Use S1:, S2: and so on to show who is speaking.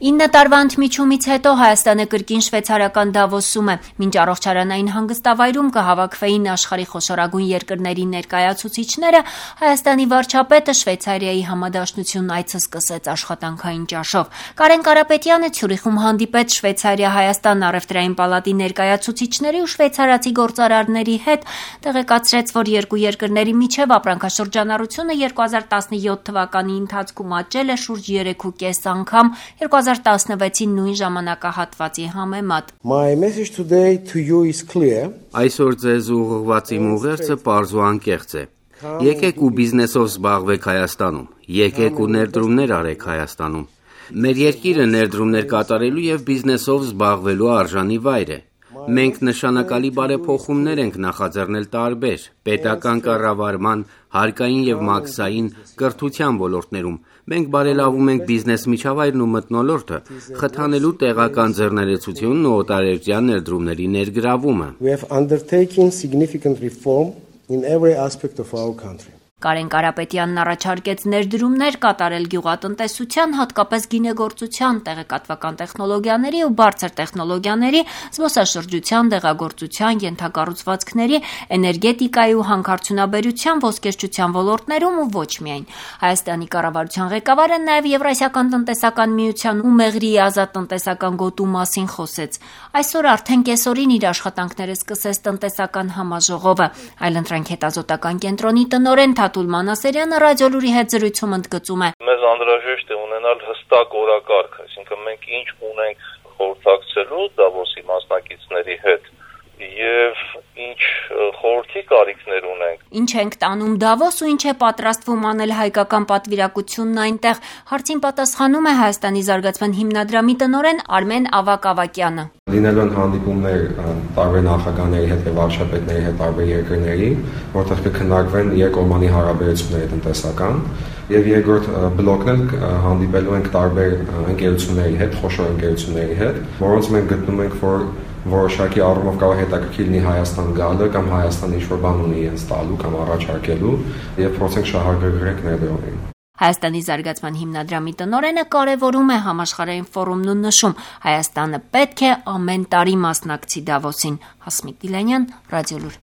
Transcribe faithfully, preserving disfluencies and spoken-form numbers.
S1: ինը տարվա ընդմիջումից հետո Հայաստանը կրկին շվեյցարական Դավոսում է։ Մինչ առողջարանային հանգստավայրում կհավաքվեին աշխարհի խոշորագույն երկրների ներկայացուցիչները, Հայաստանի վարչապետը Շվեյցարիայի համադաշնությունն այցը սկսեց աշխատանքային ճաշով։ Կարեն Կարապետյանը Ցյուրիխում հանդիպեց Շվեյցարիա-Հայաստան առևտրային պալատի ներկայացուցիչների ու շվեյցարացի գործարարների հետ, տեղեկացրեց, որ երկու երկրների միջև ապրանքաշրջանառությունը երկու հազար տասնյոթ թվականի ընթացքում աճել է շուրջ երեք ու կես անգամ երկու հազար տասնվեցի նույն ժամանակահատվածի համեմատ։
S2: My message today to you is clear.
S3: Այսօր ձեզ ուղղված իմ ուղերձը պարզ ու անկեղծ է։ Եկեք ու բիզնեսով զբաղվեք Հայաստանում։ Եկեք ու ներդրումներ արեք Հայաստանում։ Մեր երկիրը ներդրումներ կատարելու եւ բիզնեսով զբաղվելու արժանի վայր է։ Մենք նշանակալի բարեփոխումներ ենք նախաձեռնել տարբեր պետական կառավարման, հարկային եւ մաքսային, կրթության ոլորտներում։ Մենք բարելավում ենք բիզնես միջավայրն ու մթնոլորտը, խթանելու տեղական ձեռներեցությունն ու օտարերկրյա ներդրումների ներգրավումը։
S2: We have undertaken significant reform in every aspect of our country.
S1: Կարեն Կարապետյանն առաջարկեց ներդրումներ կատարել գյուղատնտեսության, հատկապես գինեգործության, տեղեկատվական տեխնոլոգիաների ու բարձր տեխնոլոգիաների, զբոսաշրջության, դեղագործության, ենթակառուցվածքների, էներգետիկայի ու հանքարդյունաբերության, ոսկերչության ոլորտներում ու ոչ միայն։ Հայաստանի կառավարության ղեկավարը նաև Եվրասիական տնտեսական միության ու Մեղրիի ազատ տնտեսական գոտու մասին խոսեց։ Այսօր արդեն կեսօրին իր աշխատանքները սկսեց տնտեսական համաժողովը։ Այլընտրանք հետազոտական կենտրոնի տնօրեն Թաթուլ Մանասերյանը ռադիոլուրի հետ զրույցում ընդգծում է.
S4: Մեզ անհրաժեշտ է ունենալ հստակ օրակարգ, այսինքն մենք ինչ ունենք խորհրդակցելու Դավոսի մասնակիցների հետ եւ ինչ խորհրդի կարիքներ ունենք։
S1: Ինչ ենք տանում Դավոս ու ինչ է պատրաստվում անել հայկական պատվիրակությունն այնտեղ, հարցին պատասխանում է Հայաստանի զարգացման հիմնադրամի տնօրեն Արմեն Ավագ-Ավագյանը։
S5: Լինելու են հանդիպումներ տարբեր նախագահների հետ եւ վարչապետների հետ տարբեր երկրների, որտեղ կքննարկվեն երկկողմանի հարաբերությունները տնտեսական, եւ երկրորդ բլոկն էլ հանդիպելու ենք տարբեր ընկերությունների հետ, խոշոր ընկերությունների հետ, որոնց մենք գտնում ենք, որ որոշակի առումով կարող է հետաքրքիր լինի Հայաստան գալը կամ Հայաստանը ինչ-որ բան ունի իրենց տալու կամ առաջարկելու եւ փորձենք շահագրգռել ներդրումին։
S1: Հայաստանի զարգացման հիմնադրամի տնօրենը կարևորում է համաշխարհային ֆորումն ու նշում, Հայաստանը պետք է ամեն տարի մասնակցի Դավոսին։ Հասմիկ Դիլանյան, Ռադիոլուր։